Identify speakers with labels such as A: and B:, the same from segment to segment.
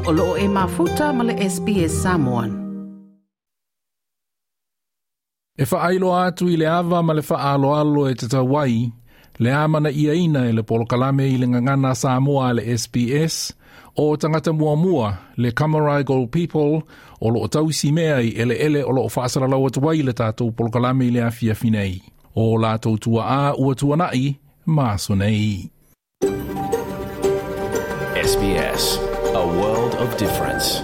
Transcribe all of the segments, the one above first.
A: O loo e mafuta ma le SBS Samoan.
B: E whaailoa atu i le ava ma le whaaloalo e te tauai, le amana ia ina e le polokalame i le ngangana Samoa le SBS, o tangata muamua le Cammeraygal People o loo tausi mea i ele ele o loo whaasalalau atu ai le tātou polokalame i le afiafi nei. O lātou tua a ua tuanai, ma nei.
C: SBS, a world of difference.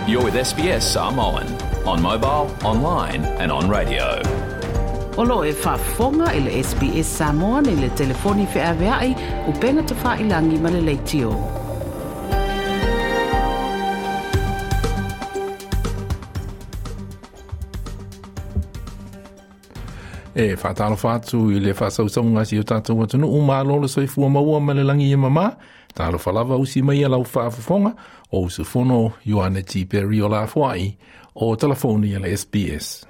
C: You're with SBS Samoan on mobile, online and on radio.
A: O loo e faafofoga i le SBS Samoan i le telefoni feaveai upenga tafailagi ma le leitio.
B: E whaatalofa atu i le whaasausauga si o tātou atunuu malo le soifua maua ma le langi e mama. Talofa lava usi mai a lau faafofoga o usufono Ioane T. Perry o lafoai o telefoni a le SBS.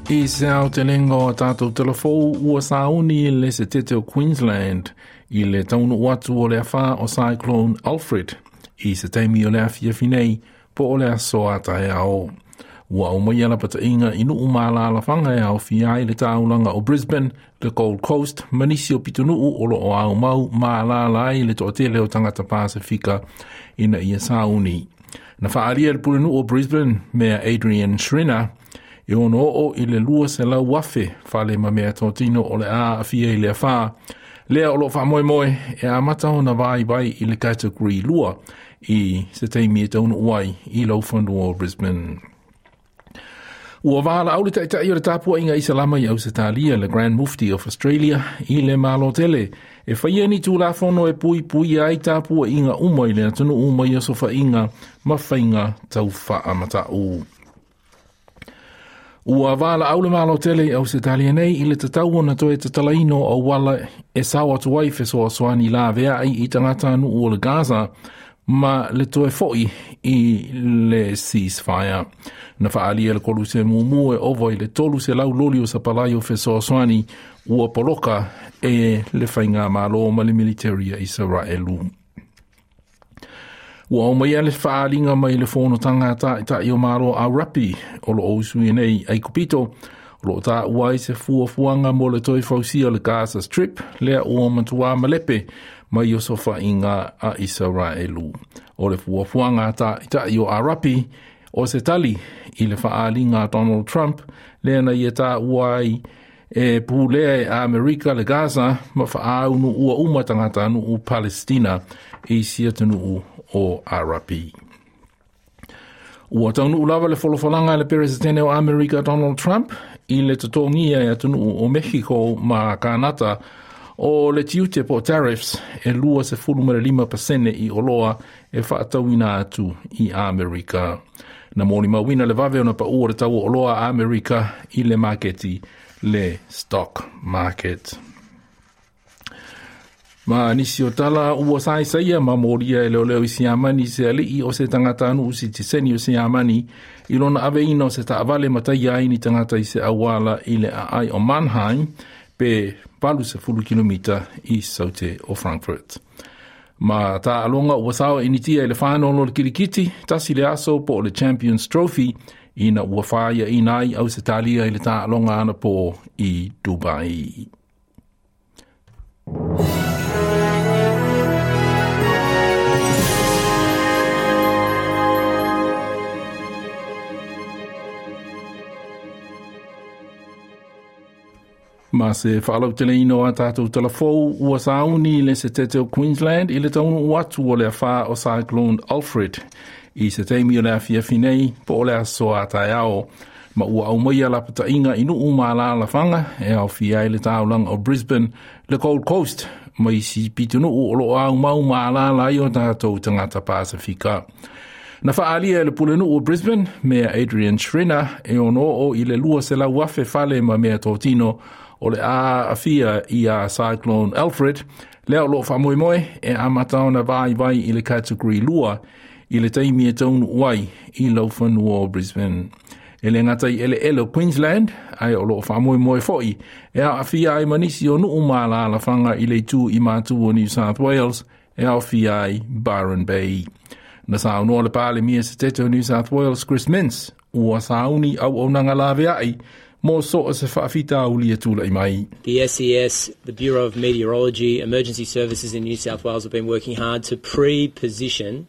B: I se au te lenga o tātou telefou ua sauni le se tete o Queensland i le taunu atu o le awha o Cyclone Alfred i se taimi o le afiafi nei po o le aso a taeao. Ua au mai ala patainga i nuu mālalawhanga e au fia ai le tāulanga o Brisbane, le Gold Coast, manisi o pitunuu o lo o au mau mālala ai le toatele o tangata Pasifika ina ia sauni. Na whaaria le pulenuu o Brisbane mea Adrian Schrinner e ono oo i le lua se lau wafe whale ma mea tōtino o le a awhia i le awha. Lea o lo wha moe moe e a mata ona vai vai i le category lua i se teimi e taunu uai i lau whanua o Brisbane. Ua wāla au le taitai o le tāpua inga Isalama i Ausetalia, le Grand Mufti of Australia, i le Malotele. E whaia ni tūlafono e pui pui ai tāpua inga uma i le atunu uma i asofa inga ma whainga tau whaamatau. Ua wāla au le Malotele i Ausetalia nei i le tatau ona toe tatalaino o wala e sao atu ai fesoasoani la veai i tangata anu o le Gaza ma le toe foi i le ceasefire. Na whaalia le koluse mumu e ova i le tolu se lau loli o sapalai o fesoasoani ua poloka e le whainga malo ma le military a Israelu. Ua au mai le whaalinga mai le whono tangata i tai o maro a rapi o lo osu i nei ai kupito o lo tā uai se fuafuanga mo le toi fausia le Gaza Strip lea ua matua malepe mai o sofa inga a Israelu. O le fuafuanga tā i tai o Arapi o se tali i le whaalinga a Donald Trump lea na ia tā uai e pūlea e Amerika le Gaza ma whaaunu ua uma tangata anu u Palestina i siatunu o Arapi. Ua taunu lava le folofolaga le Presidente o Amerika Donald Trump i le totogia e atunuu o Mexico ma Kanata o le tiute po tariffs e 25% i oloa e whaatauina atu i Amerika. Na mōni mawina le vave ona pa ua le tau o oloa Amerika i le maketi le stock market. Ma nisi o tala ua saisaia ma moria e leo leo i siamani se alii o se tangata anu usi tiseni o siamani i lona aveina o se taavale matai ai ni tangata i se awala i le aai o Mannheim pe 80 kilomita i saute o Frankfurt. Ma tā alonga ua sawa initia i le whanolo le kirikiti, tasi le aso po o le Champions Trophy ina ua whaia inai au se talia i le tā alonga ana po i Dubai. Ma se whaalau te leino a tātou telefou ua sauni le se tete o Queensland i le taunu atu o le awha o Cyclone Alfred i se teimi o le afiafi nei po o le aso a taeao ma ua au mai a lapatainga i nuu mālalawhanga e au fia i le tāulanga o Brisbane le Gold Coast mai si pitunuu o lo au mau mālala i o tātou tangata Pasifika. Na whaalia e le pulenuu o Brisbane, mea Adrian Schrinner, e ono o i le lua se lau afe fale ma mea tōtino o le a aafia ia Cyclone Alfred, lea o loo faamoemoe e amata ona vaivai i le Category 2 i le taimi e taunuu ai i laufanua o Brisbane. E le gata i eleele o Queensland, ae o loo faamoemoe foi e aafia ai ma nisi o nuu ma alaalafaga i le itu i matu o New South Wales e aofia ai Byron Bay. Na saunoa le Palemia Setete o New South Wales Chris Minns ua sauni auaunaga laveai mo so o se faafitauli e tulai mai.
D: The SES, the Bureau of Meteorology, Emergency Services in New South Wales have been working hard to pre-position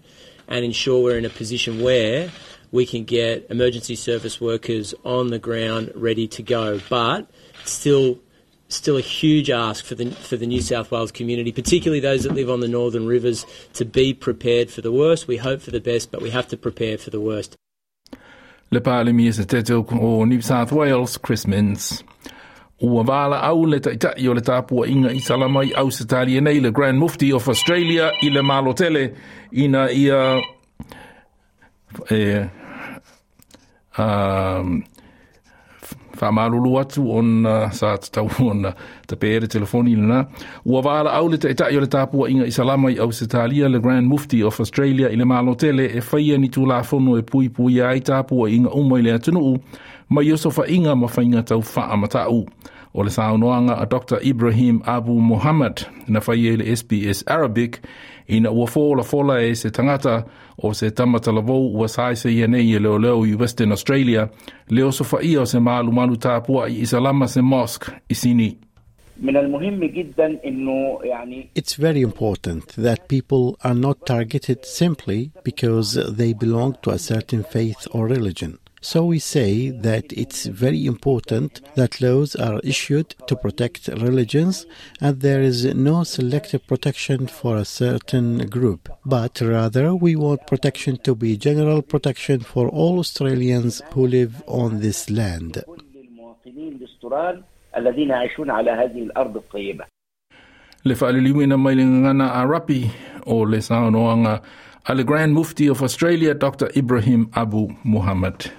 D: and ensure we're in a position where we can get emergency service workers on the ground ready to go. But still a huge ask for the New South Wales community, particularly those that live on the northern rivers, to be prepared for the worst. We hope for the best, but we have to prepare for the worst.
B: Le Palemia Setete o New South Wales, Chris Minns. Ua valaau le taitai o le tapuaiga Isalama i Ausetalia nei le Grand Mufti of Australia i le Malo tele ina ia e faamalulu atu ona sa tatau ona tape le telefoni lena. Ua valaau le taitai o le tapuaiga Isalama i Ausetalia le Grand Mufti of Australia i le Malo tele e faia ni tulafono e puipuia ai tapuaiga uma i le atunuu mai osofaiga ma faiga tau faamatau. O le saunoaga a Dr. Ibrahim Abu Muhammad na faia i le SBS Arabic ina ua folafola e se tagata o se tamatalavou ua saesaia nei e leoleo i Western Australia le osofaia o se malumalu tapuai Isalama se mosque i Sini.
E: من المهم جدا انه يعني
F: It's very important that people are not targeted simply because they belong to a certain faith or religion. So we say that it's very important that laws are issued to protect religions and there is no selective protection for a certain group, but rather we want protection to be general protection for all Australians who live on this land.
E: كل المواطنين الاسترال الذين يعيشون على هذه الارض الطيبه.
B: Le faaliliuina mai le gagana Arapi o le saunoaga a le Grand Mufti of Australia Dr. Ibrahim Abu Muhammad.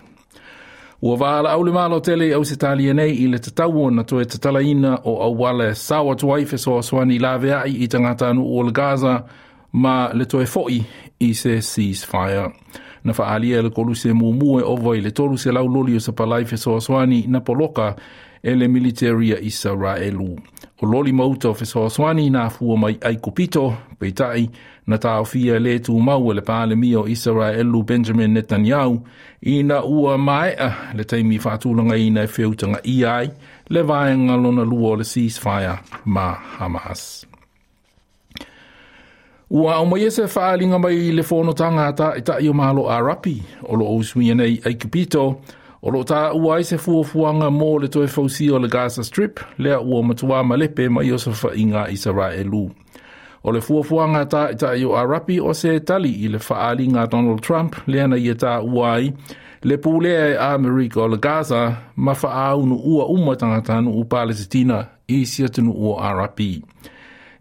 B: Ua valaau le Malo tele i Ausetalia nei i le tatau ona toe tatalaina o auala e sao atu ai fesoasoani laveai i tagatanuu o le Gaza ma le toe foi i se ceasefire. Na faaalia e le Koluse muamua e ova i le 300 loli o sapalai fesoasoani na poloka e le military a Isaraelu. O loli ma uta o fesoasoani na afua mai Aikupito, peitai na taofia le tumau e le Palemia o Isaraelu Benjamin Netanyahu ina ua maea le taimi faatulagaina e feutagaia ai le vaega lona lua o le ceasefire ma Hamas. Ua aumaia se faaaliga mai le fonotaga a taitai o Malo Arapi o loo usuia nei Aikupito o loo taua ai se fuafuaga mo le toe fausia o le Gaza Strip lea ua matuā malepe mai osofaiga a Isaraelu. O le fuafuaga taitai o Arapi o se tali i le faaaliga a Donald Trump lea na ia taua ai le pulea e Amerika o le Gaza ma faaunuua uma tagatanuu Palesitina i si atunuu o Arapi.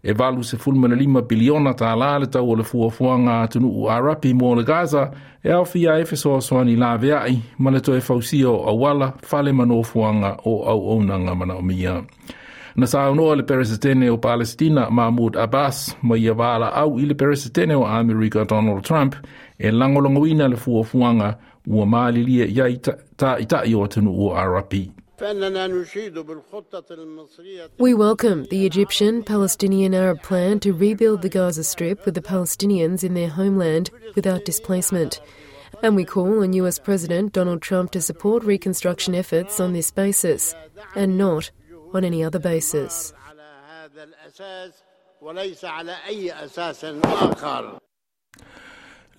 B: E 85 piliona tālā le tau o le fuafuaga atunuu Arapi mo le Gaza e aofia ai fesoasoani laveai ma le toe fausia o auala, fale ma nofoaga o auaunaga manaomia. Na saunoa le Peresetene o Palestina Mahmoud Abbas ma ia valaau i le Peresetene o Amerika Donald Trump e lagolagoina le fuafuaga ua malilie i ai taitai o atunuu o Arapi.
G: فإننا نشيد بالخطة المصرية
H: We welcome the Egyptian Palestinian Arab plan to rebuild the Gaza Strip with the Palestinians in their homeland without displacement. And we call on US President Donald Trump to support reconstruction efforts on this basis and not on any other basis.
G: على هذا الأساس وليس على أي أساس آخر.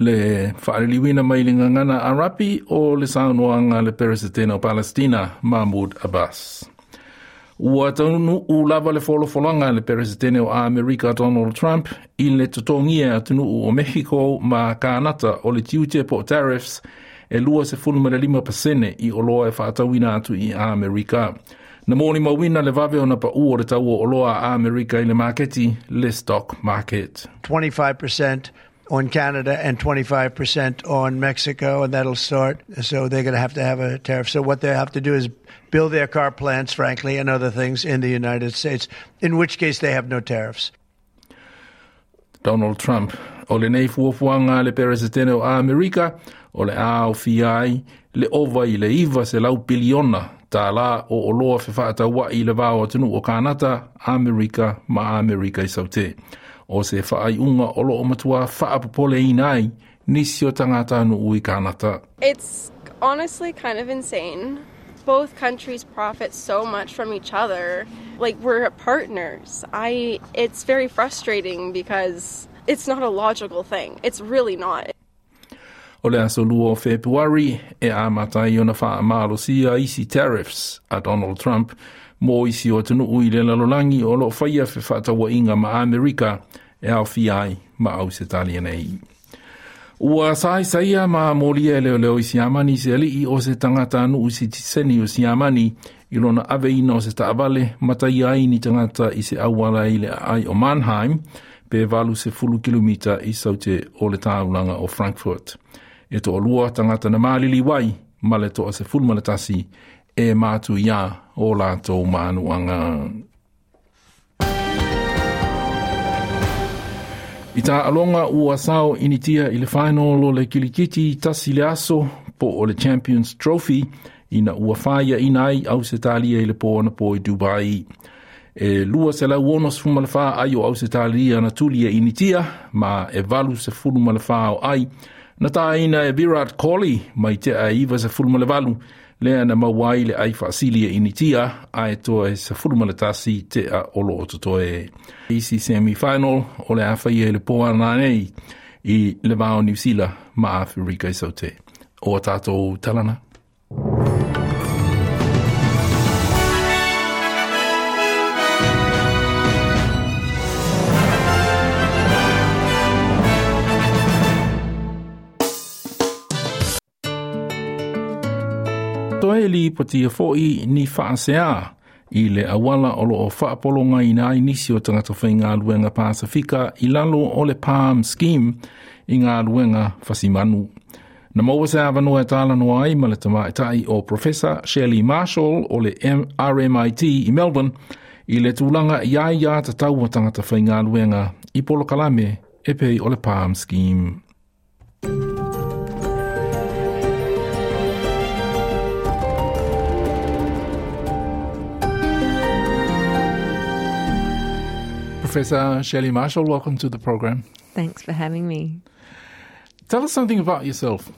B: Le faaliliuina mai le gagana Arapi o le saunoaga le Peresetene o Palestina Mahmoud Abbas. Ua taunuu lava le folafolaga le Peresetene o Amerika Donald Trump i le totogia atunuu o Mexico ma Kanata o le tiute po tariffs e 25% i oloa e faatauina atu i Amerika. Na molimauina le vave ona paʻu o le tau o oloa a Amerika i le maketi, le stock market.
I: 25% on Canada and 25% on Mexico, and that'll start. So they're going to have a tariff. So what they have to do is build their car plants, frankly, and other things in the United States, in which case they have no tariffs.
B: Donald Trump. O lenei fuafuaga a le Peresetene o Amerika, o le a aofia ai le ova i le 900 piliona tālā o oloa fefaataua'i i le va o atunuu o Kanata, Amerika ma Amerika i Saute. O se faaiuga o loo matuā faapopoleina ai nisi o tagatanuu i Kanata.
J: It's honestly kind of insane. Both countries profit so much from each other. Like, we're partners. It's very frustrating because it's not a logical thing. It's really not.
B: O le aso 2 o Fepuari e amata ai ona faamalosia isi tariffs a Donald Trump mo isi o atunuu i le lalolagi o loo faia fefaatauaiga ma Amerika e aofia ai ma Ausetalia nei. Ua saisaia ma molia e leoleo i Siamani se alii o se tagatanuu sitiseni o Siamani i lona aveina o se taavale mataia ai ni tagata i se auala i le aai o Mannheim pe 80 kilomita i saute o le taulaga o Frankfurt. E toalua tagata na maliliu ai ma le 11 e matuia o latou manuaga. I taaloga ua sao Initia i le final o le kilikiti tasi le aso po o le Champions Trophy ina ua faiaina ai Ausetalia i le po anapo i Dubai. E 264 ai o Ausetalia na tuli e Initia ma e 84 o ai na taina e Virat Kohli mai tea e 98 lea na maua ai le ai faasili e Initia ae toe 11 tea o loo totoe. Isi semi-final o le a faia i le po ana nei i le va o Niu Sila ma Aferika i Saute. O a tātou talana. Toe lipotia fo'i ni faaseā i le auala o loo faapologaina ai nisi o tagata faigaluega Pasifika i lalo o le PALM Scheme i galuega fasimanu. Na maua se avanoa e talanoa ai ma le tamaitai o Professor Shelley Marshall o le RMIT i Melbourne i le tulaga i ai ia tatau a tagata faigaluega i polokalame e pei o le PALM Scheme. Professor Shelley Marshall, welcome to the program.
K: Thanks for having me.
B: Tell us something about yourself.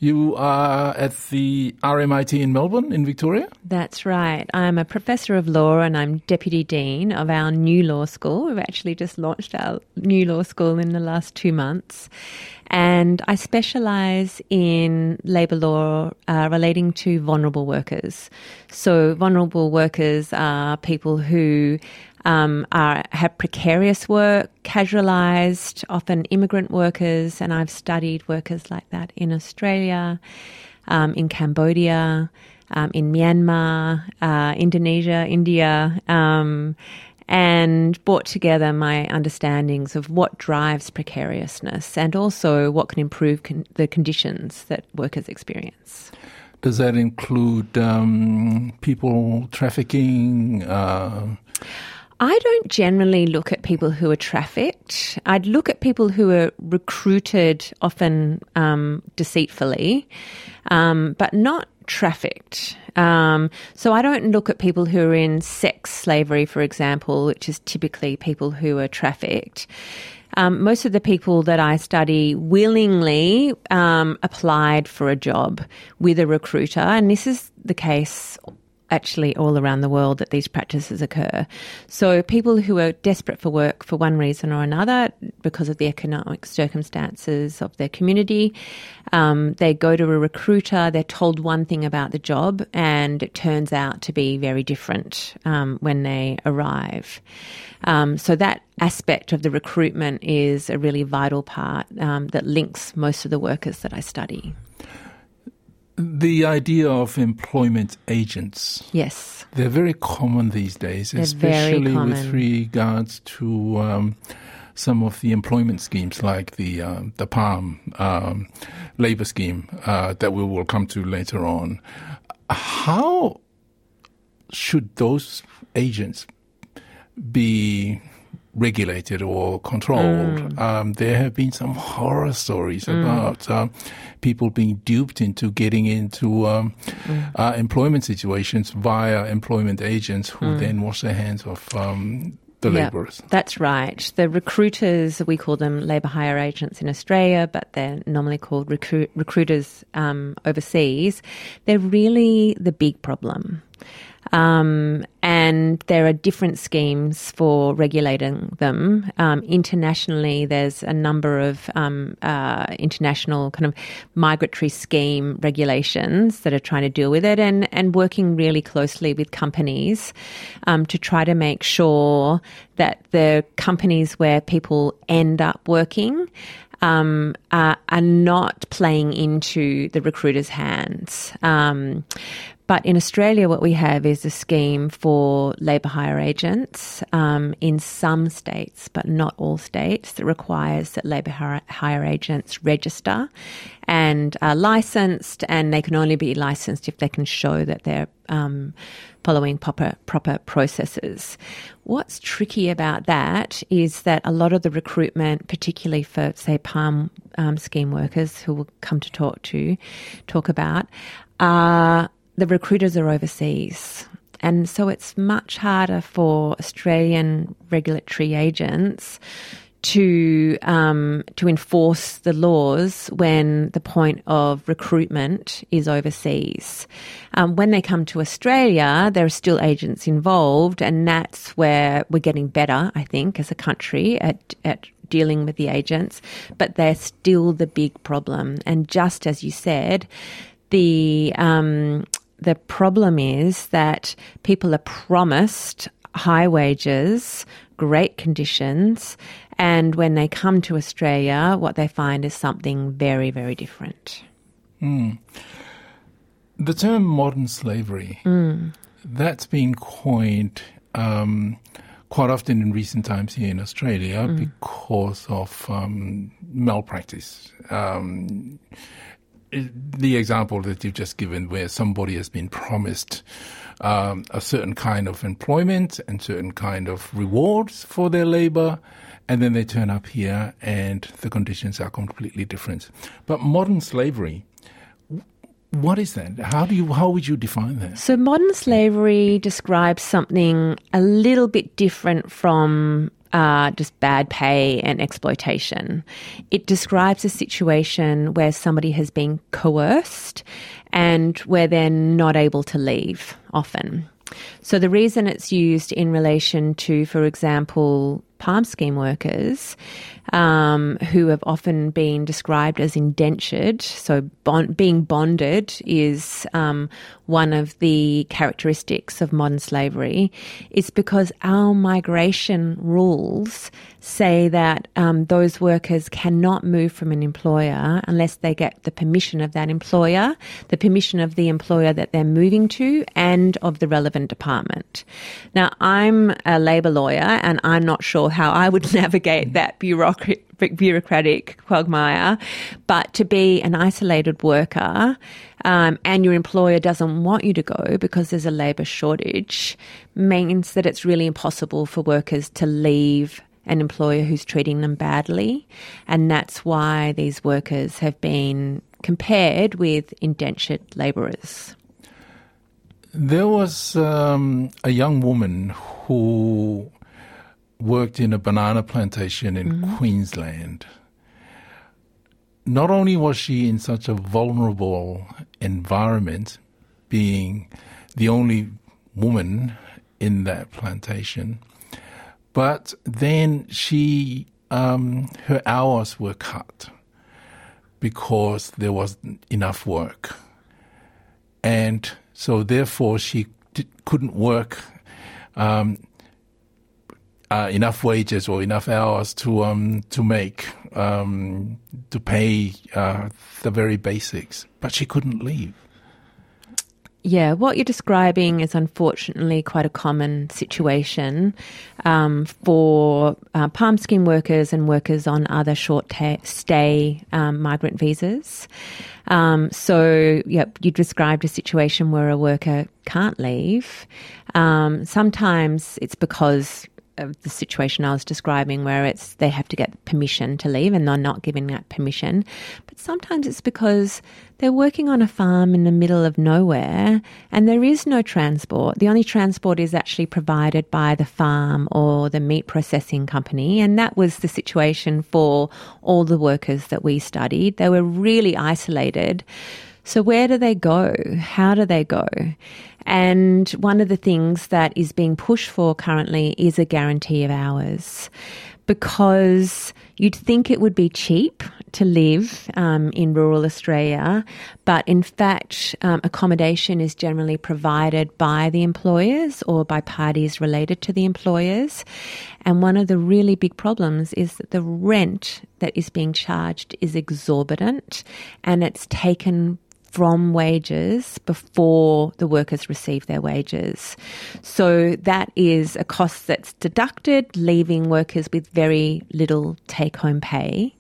B: You are at the RMIT in Melbourne, in Victoria?
K: That's right. I'm a professor of law and I'm deputy dean of our new law school. We've actually just launched our new law school in the last 2 months. And I specialise in labour law relating to vulnerable workers. So vulnerable workers are people who have precarious work, casualised, often immigrant workers, and I've studied workers like that in Australia, in Cambodia, in Myanmar, Indonesia, India, and brought together my understandings of what drives precariousness and also what can improve the conditions that workers experience.
B: Does that include people trafficking?
K: I don't generally look at people who are trafficked. I'd look at people who are recruited, often deceitfully, but not trafficked. So I don't look at people who are in sex slavery, for example, which is typically people who are trafficked. Most of the people that I study willingly applied for a job with a recruiter, and this is the case actually all around the world that these practices occur. So people who are desperate for work for one reason or another, because of the economic circumstances of their community, they go to a recruiter, they're told one thing about the job, and it turns out to be very different when they arrive. So that aspect of the recruitment is a really vital part that links most of the workers that I study.
B: The idea of employment agents.
K: Yes.
B: They're very common these days,
K: They're very
B: especially with
K: common.
B: regards to some of the employment schemes like the the PALM labour scheme that we will come to later on. How should those agents be regulated or controlled? There have been some horror stories about people being duped into getting into employment situations via employment agents who then wash their hands of the labourers.
K: That's right. The recruiters, we call them labour hire agents in Australia, but they're normally called recruiters overseas. They're really the big problem. And there are different schemes for regulating them. Internationally, there's a number of international kind of migratory scheme regulations that are trying to deal with it, and working really closely with companies to try to make sure that the companies where people end up working are not playing into the recruiters' hands. But in Australia, what we have is a scheme for labour hire agents in some states, but not all states, that requires that labour hire agents register and are licensed, and they can only be licensed if they can show that they're following proper processes. What's tricky about that is that a lot of the recruitment, particularly for, say, PALM scheme workers who we'll come to talk about, are the recruiters are overseas. And so it's much harder for Australian regulatory agents to enforce the laws when the point of recruitment is overseas. When they come to Australia, there are still agents involved, and that's where we're getting better, I think, as a country at dealing with the agents, but they're still the big problem. And just as you said, the problem is that people are promised high wages, great conditions, and when they come to Australia, what they find is something very, very different.
B: Mm. The term modern slavery, that's been coined quite often in recent times here in Australia because of malpractice. The example that you've just given, where somebody has been promised a certain kind of employment and certain kind of rewards for their labor, and then they turn up here and the conditions are completely different. But modern slavery, what is that? How would you define that?
K: So modern slavery describes something a little bit different from just bad pay and exploitation. It describes a situation where somebody has been coerced and where they're not able to leave often. So the reason it's used in relation to, for example, PALM scheme workers who have often been described as indentured, so being bonded is one of the characteristics of modern slavery, is because our migration rules say that those workers cannot move from an employer unless they get the permission of that employer, the permission of the employer that they're moving to, and of the relevant department. Now, I'm a labour lawyer and I'm not sure how I would navigate that bureaucratic quagmire, but to be an isolated worker and your employer doesn't want you to go because there's a labour shortage means that it's really impossible for workers to leave an employer who's treating them badly, and that's why these workers have been compared with indentured labourers.
B: There was a young woman who worked in a banana plantation in Queensland. Not only was she in such a vulnerable environment, being the only woman in that plantation, but then she, her hours were cut because there wasn't enough work. And so therefore she couldn't work enough wages or enough hours to make, to pay the very basics. But she couldn't leave.
K: Yeah, what you're describing is unfortunately quite a common situation for palm scheme workers and workers on other short stay migrant visas. So, yep, you described a situation where a worker can't leave. Sometimes it's because of the situation I was describing where it's they have to get permission to leave and they're not giving that permission. But sometimes it's because they're working on a farm in the middle of nowhere and there is no transport. The only transport is actually provided by the farm or the meat processing company. And that was the situation for all the workers that we studied. They were really isolated. So where do they go? How do they go? And one of the things that is being pushed for currently is a guarantee of hours, because you'd think it would be cheap to live in rural Australia, but in fact, accommodation is generally provided by the employers or by parties related to the employers. And one of the really big problems is that the rent that is being charged is exorbitant, and it's taken from wages before the workers receive their wages. So that is a cost that's deducted, leaving workers with very little take-home pay.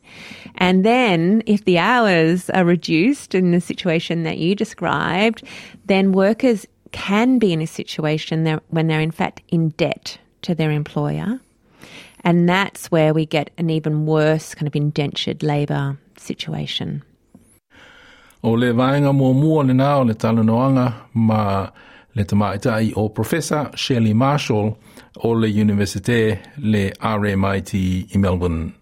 K: And then if the hours are reduced in the situation that you described, then workers can be in a situation when they're in fact in debt to their employer. And that's where we get an even worse kind of indentured labour situation.
B: O le vaega muamua lena o le talanoaga ma le tamaitai o Professor Shelley Marshall o le Universite le RMIT i Melbourne.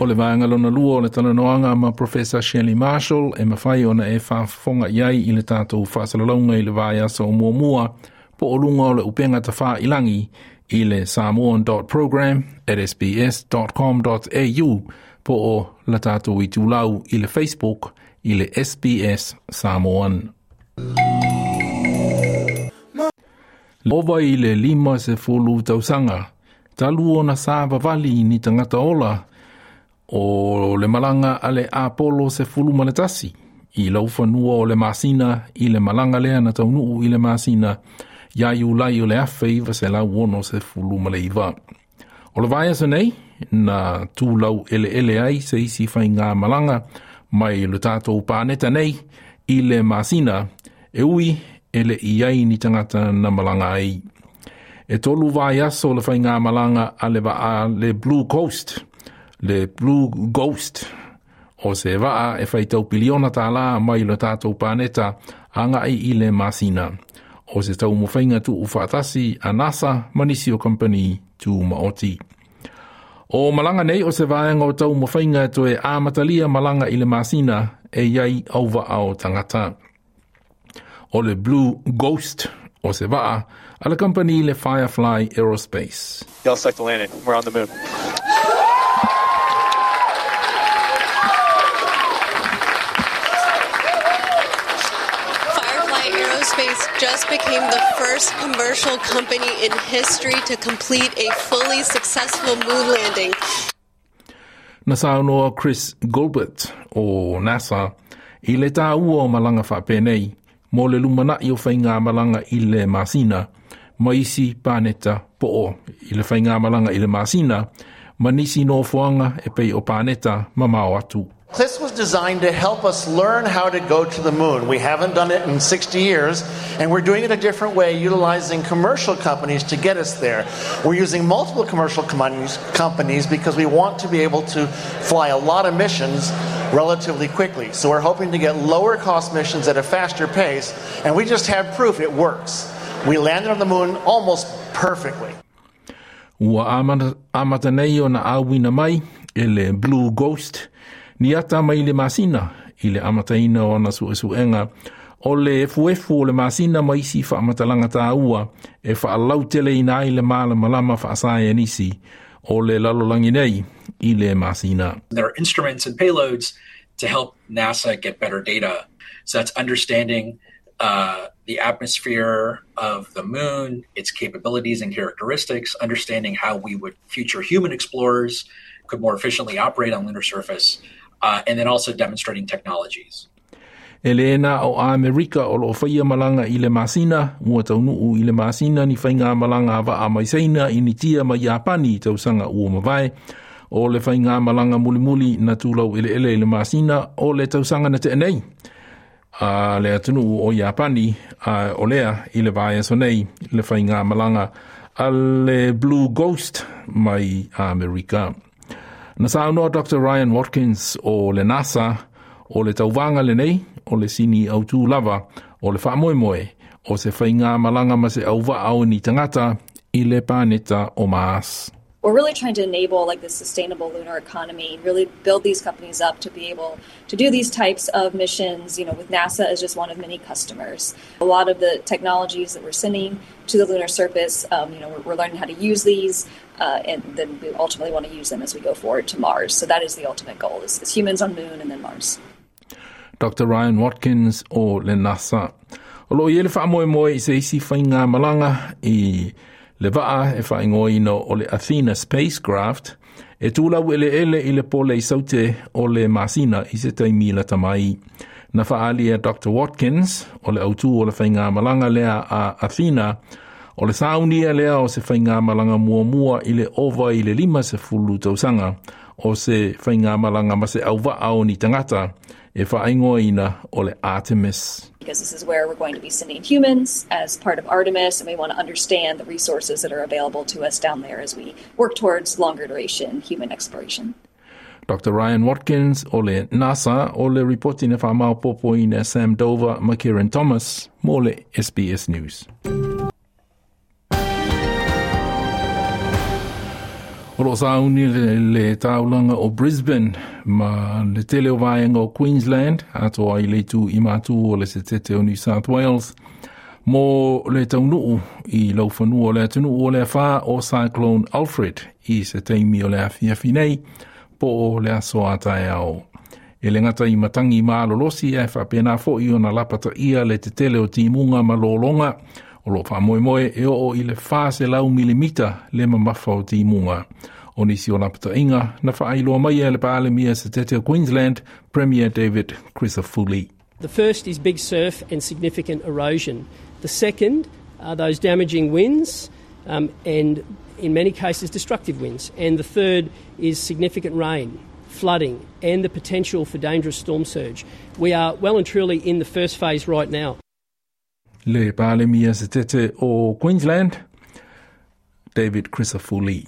B: O le vaega lona lua o le talanoaga ma Professor Shelley Marshall e mafai ona e faafofoga i ai i le tatou faasalalauga i le vaiaso o muamua po o luga o le upega tafailagi i le samoan.program@sbs.com.au po o le tatou itulau i le Facebook i le SBS Samoan. Ova i le 50 tausaga, talu ona savavali ni tagata ola o le malaga a le Apollo 11 i laufanua o le masina i le malaga lea na taunuu i le masina ia Iulai o le 1969. O le vaiaso nei, na tulau eleele ai se isi faigamalaga mai le tatou paneta nei i le masina, e ui e le i ai ni tagata na malaga ai. E 3 vaiaso le faigamalaga a le vaa le Blue Coast, le Blue Ghost, o se vaa e faitau piliona tālā mai le tatou paneta agai i le masina. O se taumafaiga tuufaatasi a NASA ma nisi o kampani tumaoti. O malaga nei o se vaega o taumafaiga e toe amatalia malaga i le masina e iai auvaa o tagata. O le Blue Ghost o se vaa a le kampani le Firefly Aerospace.
L: Y'all stuck the landing. We're on the moon.
M: Just became the first commercial company in history to complete a fully successful moon landing.
B: Na saunoa Chris Gilbert o NASA i le tāua o malaga faapenei mo le lumanai o faigamalaga i le masina ma isi paneta po o i le faigamalaga i le masina ma nisi nofoaga e pei o paneta mamao atu.
N: This was designed to help us learn how to go to the moon. We haven't done it in 60 years, and we're doing it a different way, utilizing commercial companies to get us there. We're using multiple commercial companies because we want to be able to fly a lot of missions relatively quickly. So we're hoping to get lower cost missions at a faster pace, and we just have proof it works. We landed on the moon almost perfectly.
B: Ua amata nei ona auina mai e le Blue Ghost ni ata mai le masina i le amataina o ana suesuega o le efuefu o le masina ma isi faamatalaga tāua e faalauteleina ai le malamalama faasaienisi o le lalolagi nei i le masina.
O: There are instruments and payloads to help NASA get better data. So that's understanding the atmosphere of the moon, its capabilities and characteristics, understanding how we would future human explorers could more efficiently operate on lunar surface, and then also demonstrating technologies.
B: E le na o Amerika o loo faia malaga i le masina, ua taunuu i le masina ni faigamalaga a vaa mai Saina, Initia ma Iapani i tausaga ua mavae. O le faigamalaga mulimuli na tulau eleele i le masina o le tausaga na tea nei a le atunuu o Iapani, a o lea i le vaiaso nei le faigamalaga a le Blue Ghost mai Amerika. Na saunoa Dr. Ryan Watkins o le NASA, o le tauvaga lenei o le sini autū lava o le faamoemoe o se faigamalaga ma se auvaa o ni tagata i le paneta o Mars.
P: We're really trying to enable like this sustainable lunar economy, really build these companies up to be able to do these types of missions, with NASA as just one of many customers. A lot of the technologies that we're sending to the lunar surface, we're learning how to use these, and then we ultimately want to use them as we go forward to Mars. So that is the ultimate goal, is humans on moon and then Mars.
B: Dr. Ryan Watkins o le NASA. O loo i ai le faamoemoe i se isi faigamalaga i le vaa e faaigoaina o le Athena spacecraft e tulau eleele i le pole i saute o le masina i se taimi lata mai. Na faaali e Dr. Watkins o le autū o le faigamalaga lea a Athena o le saunia lea o se faigamalaga muamua i le ova i le 50 tausaga o se faigamalaga ma se auvaa o ni tagata e faaigoaina o le Artemis.
P: Because this is where we're going to be sending humans as part of Artemis, and we want to understand the resources that are available to us down there as we work towards longer duration human exploration.
B: Dr. Ryan Watkins o le NASA o le ripoti na faamaopoopoina Sam Dover ma Kieran Thomas mo le SBS News. O loo sauni le taulaga o Brisbane ma le tele o vaega o Queensland atoa ai le itu i matu o le setete o New South Wales mo le taunuu i laufanua o le atunuu o le afa o Cyclone Alfred i se taimi o le afiafi nei po o le aso a taeao. E le gata i matangi malolosi ae faapena foi ona lapataia le tetele o timuga ma lologa o loo faamoemoe e oo i le 400 milimita le mamafa o timuga. O nisi o lapataiga na faailoa mai e le Palemia setete o Queensland, Premier David Crisafulli.
Q: The first is big surf and significant erosion. The second are those damaging winds and in many cases destructive winds. And the third is significant rain, flooding and the potential for dangerous storm surge. We are well and truly in the first phase right now.
B: Le Palemia setete o Queensland, David Crisafulli.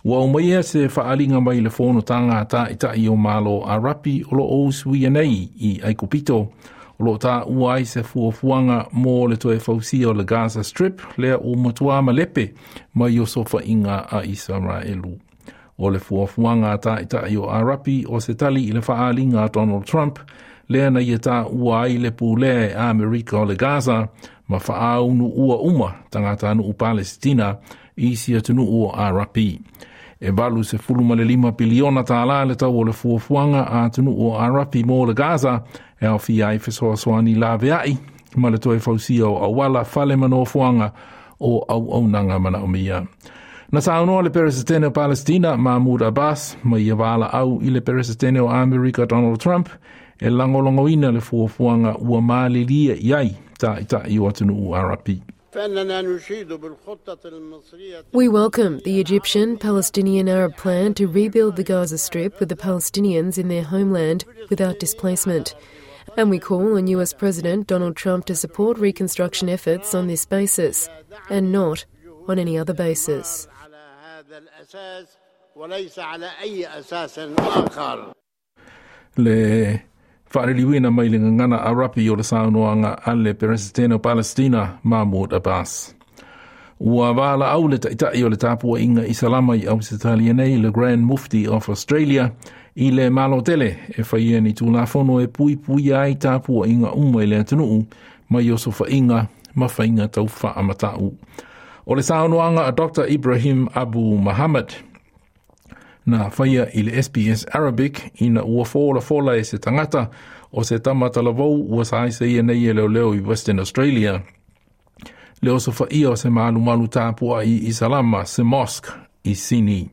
B: Ua aumaia se faaaliga mai le fonotaga a Taitai o Malo Arapi o loo usuia nei i Aikupito. O loo taua ai se fuafuaga mo le toe fausia o le Gaza Strip lea ua matuā malepe mai osofaiga a Isaraelu. O le fuafuaga a Taitai o Arapi o se tali i le faaaliga a Donald Trump lea na ia taua ai le pulea e Amerika o le Gaza ma faaunuua uma tagatanuu Palesitina i isi atunuu o Arapi. E 85 piliona tālā le tau o le fuafuaga a atunuu o Arapi mo le Gaza e aofia ai fesoasoani laveai ma le toe fausia o auala, fale ma nofoaga o auaunaga manaomia. Na saunoa le Peresetene o Palestina Mahmoud Abbas ma ia valaau i le Peresetene o Amerika Donald Trump e lagolagoina le fuafuaga ua malilie i ai Taitai o atunuu Arapi.
H: We welcome the Egyptian Palestinian Arab plan to rebuild the Gaza Strip with the Palestinians in their homeland without displacement. And we call on US President Donald Trump to support reconstruction efforts on this basis and not on any other basis.
B: Le faaliliuina mai le gagana Arapi o le saunoaga a le Peresetene o Palestina Mahmoud Abbas. Ua valaau le Taitai o le tapuaiga Isalama i Ausetalia nei, le Grand Mufti of Australia, i le Malo tele e faia ni tulafono e puipuia ai tapuaiga uma i le atunuu mai osofaiga ma faiga tau faamatau. O le saunoaga a Dr. Ibrahim Abu Muhammad. Na faia i le SBS Arabic ina ua folafola e se tagata o se tama talavou ua saisai nei e leoleo i Western Australia. Le osofaia o se malumalu tapuai i Salama, se mosque i Sydney.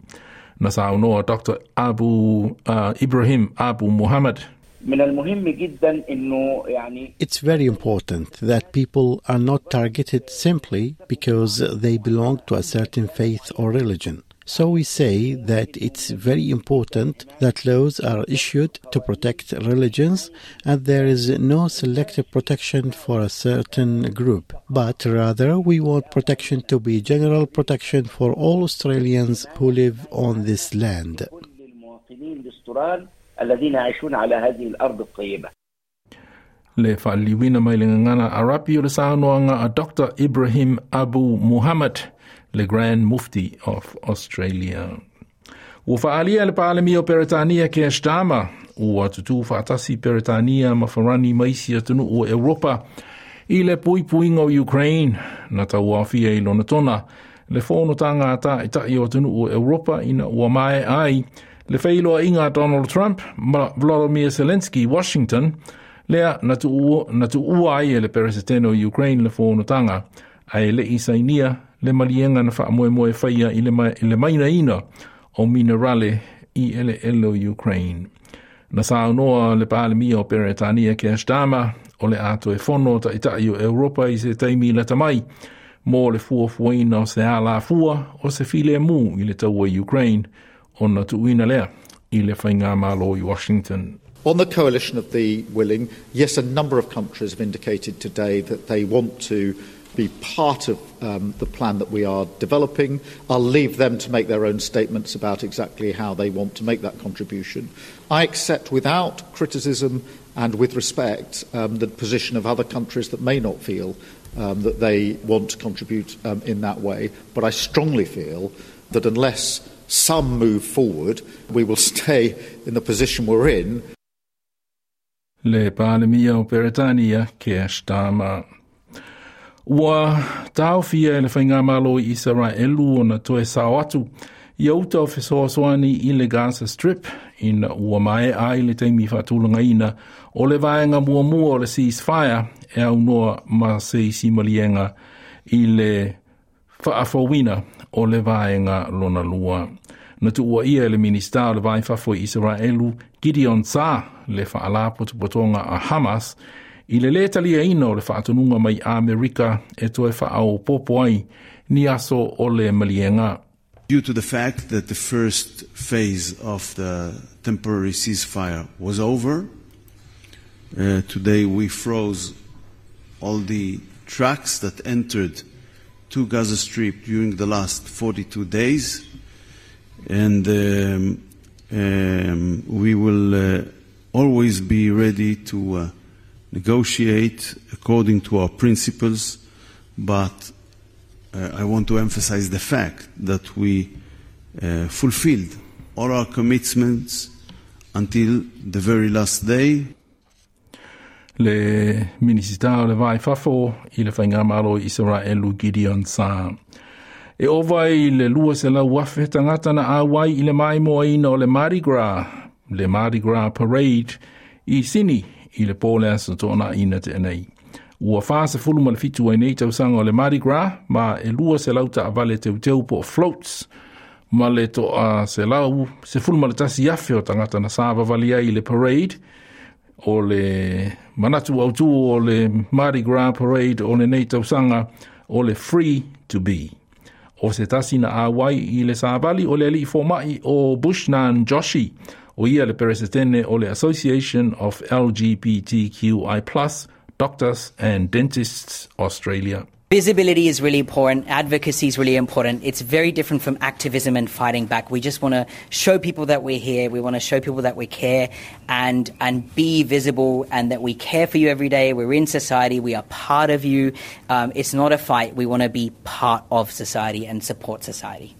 B: Na saunoa Dr. Abu Ibrahim Abu Muhammad.
E: من المهم جدا انه يعني
F: It's very important that people are not targeted simply because they belong to a certain faith or religion. So we say that it's very important that laws are issued to protect religions and there is no selective protection for a certain group, but rather we want protection to be general protection for all Australians who live on this land.
E: المواطنين الاسترال الذين يعيشون على هذه الارض الطيبه.
B: Le faaliliuina mai le gagana Arapi o le saunoaga a Dr. Ibrahim Abu Muhammad, le Grand Mufti of Australia. Ua faaalia le Palemia o Peretania Keir Starmer, ua tutū faatasi Peretania ma Farani ma isi atunuu o Europa i le puipuiga o Ukraine na tauaofia i Lonotona le fonotaga a taʻitaʻi o atunuu o Europa ina ua maea ai le feiloaiga a Donald Trump ma Volodymyr Zelensky Washington lea na tuua ai e le Peresetene o Ukraine le fonotaga ae leʻi sainia le maliega na faamoemoe faia i le mainaina o minerale i eleele o Ukraine. Na saunoa le Palemia o Peretania Keir Starmer o le a toe fono taʻitaʻi o Europa i se taimi lata mai mo le fuafuaina o se alafua o se filemu i le taua Ukraine ona tuuina lea i le faigamalo i Washington.
R: On the coalition of the willing, yes, a number of countries have indicated today that they want to be part of the plan that we are developing. I'll leave them to make their own statements about exactly how they want to make that contribution. I accept without criticism and with respect the position of other countries that may not feel that they want to contribute in that way, but I strongly feel that unless some move forward, we will stay in the position we're in.
B: Le Palemia o Peretania, Keir Starmer. Ua taofia e le faigamalo i Isaraelu ona toe sao atu ia uta o fesoasoani i le Gaza Strip ina ua maea ai le taimi faatulagaina o le vaega muamua o le ceasefire e aunoa ma se isi maliega i le faafouina o le vaega lona lua. Na tuuaia e le Minista o le Va i Fafo i Isaraelu Gideon Saar le faalapotopotoga a Hamas i le lē taliaina o le faatonuga mai Amerika e toe faaopoopo ai ni aso o le maliega.
S: Due to the fact that the first phase of the temporary ceasefire was over, today we froze all the trucks that entered to Gaza Strip during the last 42 days, and we will always be ready to negotiate according to our principles, but I want to emphasize the fact that we fulfilled all our commitments until the very last day.
B: Le Minisita o le Va i Fafo i le Faigamalo i Isaraelu Gideon Saar. E ova i le 200,000 tagata na auai i le maimoaina o le Mardi Gras, le Mardi Gras Parade i Sydney i le pō le aso Toonai na tea nei. Ua 47 ai nei tausaga o le Mardi Gras ma e 200 taavale teuteu po o floats ma le 111,000 o tagata na savavali ai i le parade. O le manatu autū o le Mardi Gras Parade o lenei tausaga o le Free to Be. O se tasi na auai i le savali o le alii fomaʻi o Bushnan Joshi, o ia le peresetene o le Association of LGBTQI Doctors and Dentists Australia.
T: Visibility is really important. Advocacy is really important. It's very different from activism and fighting back. We just want to show people that we're here. We want to show people that we care and be visible and that we care for you every day. We're in society. We are part of you. It's not a fight. We want to be part of society and support society.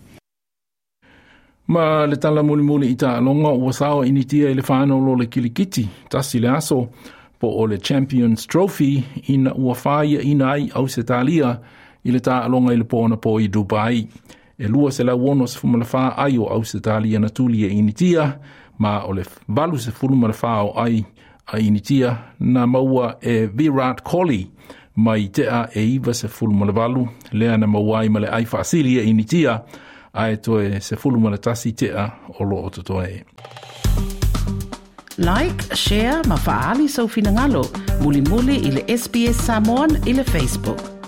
B: Ma le tala mulimuli i taaloga ua sao Initia i le final o le kilikiti tasi le aso po o le Champions Trophy ina ua fāiaʻina ai Ausetalia i le taaloga i le pō anapo i Dubai. E 264 ai o Ausetalia na tuli e Initia, ma o le 84 o ai a Initia na maua e Virat Kohli mai tea e 98, lea na maua ai ma le ai faasili e Initia, ae toe 11 tea o loo totoe.
A: Like, share ma faali sau finagalo. Mulimuli i le SBS Samoan i le Facebook.